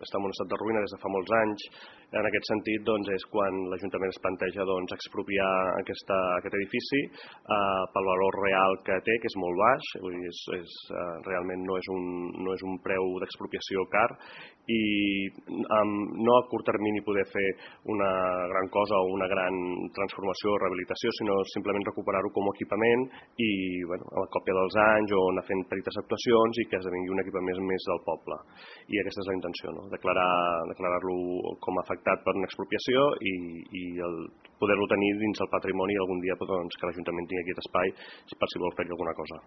està en un estat de ruïna des de fa molts anys. En aquest sentit, és quan l'Ajuntament es planteja expropiar aquest edifici pel valor real que té, que és molt baix, vull dir, realment no és un preu d'expropiació car, i no a curt termini poder fer una gran cosa o una gran transformació o rehabilitació, sinó simplement recuperar-ho com a equipament i a la còpia dels anys o anar fent petites actuacions i que esdevingui un equipament més del poble. I aquesta és la intenció, declarar-lo com a afectat per una expropiació i poder-lo tenir dins el patrimoni i algun dia que l'Ajuntament tingui aquest espai per si vol fer-hi alguna cosa.